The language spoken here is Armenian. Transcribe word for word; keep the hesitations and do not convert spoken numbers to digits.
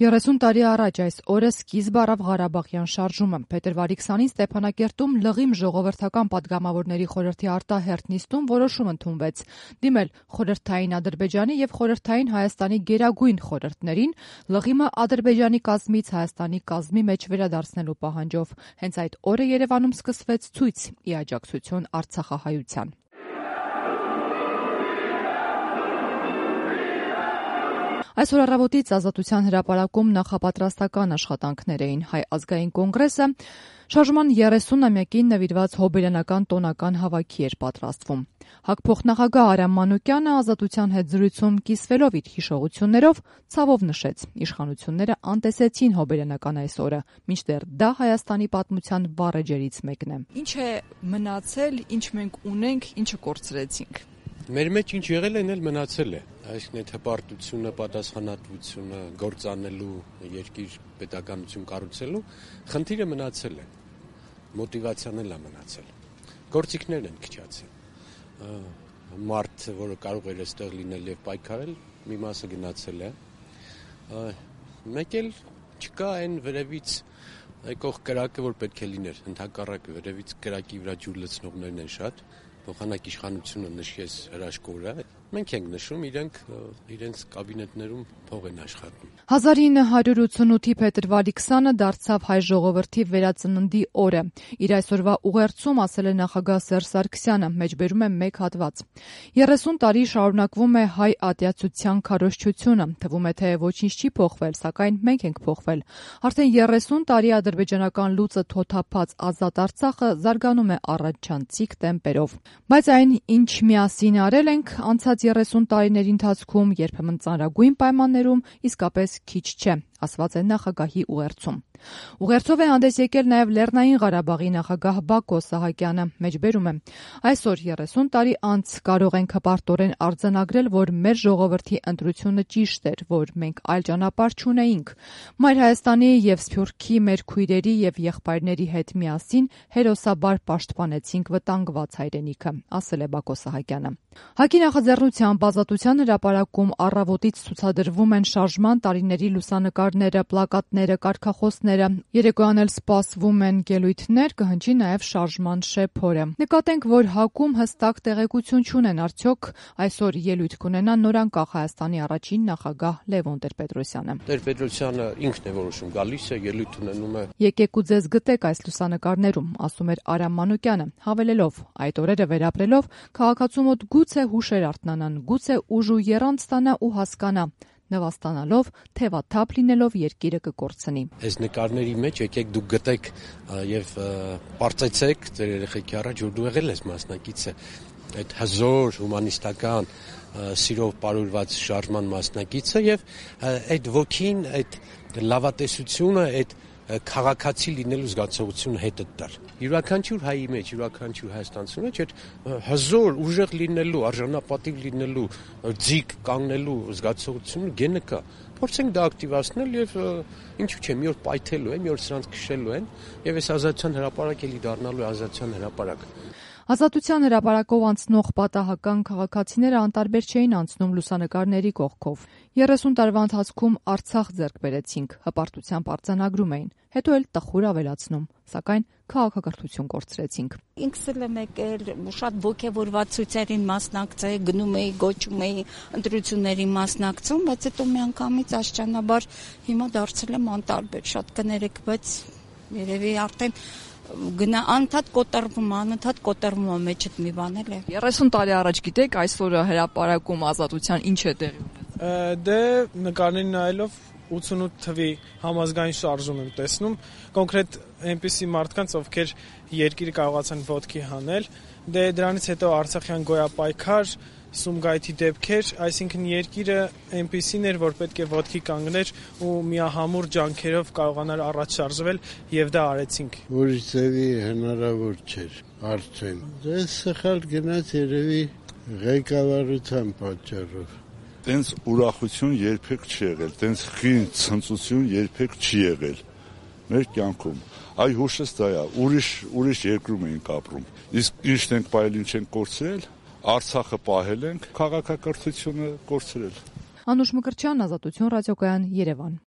երեսուն տարի առաջ այս օրը սկիզբ առավ Ղարաբաղյան շարժումը։ Փետրվարի քսանին Ստեփանակերտում լղիմ ժողովրդական պատգամավորների խորհրդի արտահերթ նիստում որոշում ընդունվեց դիմել խորհրդային Ադրբեջանի եւ խորհրդային Հայաստանի գերագույն խորհրդներին լղիմը Ադրբեջանի կազմից Հայաստանի կազմի մեջ վերադարձնելու պահանջով։ Հենց այդ օրը Երևանում սկսվեց ցույց՝ ի աջակցություն արցախահայության։ Այսօր առավոտից Ազատության հրապարակում նախապատրաստական աշխատանքներ էին։ Հայ ազգային կոնգրեսը շարժման երեսունամյակին նվիրված հոբելյանական տոնական հավաքի էր պատրաստվում։ Հակփոխնախագահ Արամ Մանուկյանը Ազատության հետ զրույցում կիսվելով իր հիշողություններով ցավով նշեց. իշխանությունները անտեսեցին հոբելյանական այս օրը, մինչդեռ դա Հայաստանի պատմության վառեջերից մեկն է։ Ինչ է մնացել, ինչ մենք ունենք, ինչը կորցրեցինք։ Մեր մեջ ինչ եղել է, էլ մնացել է։ Այսինքն այդ հպարտությունը, պատասխանատվությունը, գործանելու, երկիր պետականություն կառուցելու խնդիրը մնացել է։ Մոտիվացիան էլ է մնացել։ Գործիքներն են քչացել։ Մարդը, որը կարող էր այստեղ լինել եւ պայքարել, մի մասը գնացել է։ Մեկ էլ չկա այն վերևից եկող կրակը, որ պետք է լիներ։ Ընդհակառակը վերևից կրակի վրա ջուր լցնողներն են շատ։ Փոխանակ իշխանությունը նշեց հրաշքորը, մենք ենք նշում, իրենք իրենց կաբինետներում փող են աշխատում։ հազար ինը հարյուր ութսունութի փետրվարի քսանը դարձավ հայ ժողովրդի վերածննդի օրը։ Իր այսօրվա ուղերձում ասել է նախագահ Սերժ Սարգսյանը, մեջբերում է մեկ հատված. երեսուն տարի շարունակվում է հայ ատյացության քարոզչությունը, թվում է թե ոչինչ չի փոխվել, սակայն մենք ենք փոխվել։ Արդեն երեսուն տարի ադրբեջանական լուծը թոթափած ազատ Արցախը զարգանում է առաջանցիկ տեմպերով։ Բայց այն, ինչ միասին արել ենք անցած երեսուն տարիների ընթացքում, երբեմն ծանրագույն պայմաններում, իսկապես քիչ չէ, ասված է նախագահի ուղերձում։ Ուղերձով է հանդես եկել նաև Լեռնային Ղարաբաղի նախագահ Բակո Սահակյանը, մեջբերում է. այսօր երեսուն տարի անց կարող ենք հպարտորեն արձանագրել, որ մեր ժողովրդի ընտրությունը ճիշտ էր, որ մենք այլ ճանապարհ չունեինք։ Մայր Հայաստանի եւ Սփյուռքի մեր քույրերի եւ եղբայրների հետ միասին հերոսաբար պաշտպանեցինք վտանգված հայրենիքը, ասել է Բակո Սահակյանը։ ՀԱԿ-ի նախաձեռնությամբ Ազատության հրապարակում առավոտից ցուցադրվում են շարժման տարիների լուսանկարները, պլակատները, կարգախոսները։ Երեկոյան էլ սպասվում են ելույթներ, կհնչի նաև շարժման շեփորը։ Նկատենք, որ ՀԱԿ-ում հստակ տեղեկություն չունեն, արդյոք այսօր ելույթ կունենա նորանկախ Հայաստանի առաջին նախագահ Լևոն Տեր-Պետրոսյանը։ Տեր-Պետրոսյանը ինքն է որոշում, գալիս է, ելույթ ունենում է։ Եկեք ու ձեզ գտեք այս լուսանկարներում, ասում էր Արամ Մանուկյանը, հավելելով. այդ օրերը վերապրելով քաղաքացու մոտ գուցե հուշեր արթնանան, գուցե ուժ ու եռանդ ստանա ու հասկանա, նվաստանալով, թևաթափ լինելով երկիրը կկորցնի։ Այս նկարների մեջ եկեք դուք գտեք եւ պարծեցեք ձեր երեխեքի առաջ, որ դու եղել ես մասնակիցը այդ հզոր հումանիստական սիրով պարուրված շարժման մասնակիցը եւ այդ ոգին, այդ լավատեսությունը, այդ քաղաքացի լինելու զգացողությունը հետը տար։ Յուրաքանչյուր հայի մեջ, յուրաքանչյուր հայաստանցու մեջ այդ հզոր, ուժեղ լինելու, արժանապատիվ լինելու, ձիգ կանգնելու զգացողությունը գենը կա։ Փորձենք դա ակտիվացնել եւ ինչու՞ չէ, մի օր պայթելու է, մի օր սրանց քշելու են եւ այս ազատության հրապարակ էլի դառնալու է ազատության հրապարակ։ Ազատության հրապարակով անցնող պատահական քաղաքացիները անտարբեր չէին անցնում լուսանկարների կողքով։ երեսուն տարվա ընթացքում Արցախ ձեռք բերեցինք, հպարտությամբ արձանագրում էին, հետո էլ տխուր ավելացնում, սակայն քաղաքակրթություն կորցրեցինք։ Ինքս էլ եմ եկել, շատ ոգևորված ցույցերին մասնակցել, գնում էի, գոչում էի, ընտրությունների մասնակցում, բայց հետո միանգամից աշճանաբար հիմա դարձել եմ անտարբեր, շատ կներեք, բայց երևի արդեն գնա անընդհատ կոտրվում, անընդհատ կոտրվում է մեջդ մի բան էլ է։ երեսուն տարի առաջ գիտեք այսօրը հրապարակում Ազատության ինչ է տեղի ունեցել։ Դե նկարներին նայելով ութսունութ թվի համազգային շարժում եմ տեսնում, կոնկրետ այնպիսի մարդկանց, ովքեր երկիրը կարողացան ոտքի հանել, դե դրանից հետո Արցախյան գոյապայքար, Սումգայիթի դեպքեր, այսինքն երկիրը այնպիսին էր, որ պետք է ոտքի կանգներ ու միահամուռ ջանքերով կարողանար առաջ շարժվել եւ դա արեցինք։ Ուրիշ ձևի հնարավոր չէր արդեն։ Դե սխալ գնաց երևի ղեկավարության պատճառով։ Տենց ուրախություն երբեք չի եղել, տենց խին ցնծություն երբեք չի եղել մեր կյանքում։ Այ հուշս դա է, ուրիշ ուրիշ երկրում ենք ապրում։ Իսկ ինչն ենք պահել, ինչ ենք կորցրել, Արցախը պահել ենք, քաղաքակրթությունը կորցրել։ Անուշ Մկրտչյան, Ազատություն ռադիոկայան, Երևան։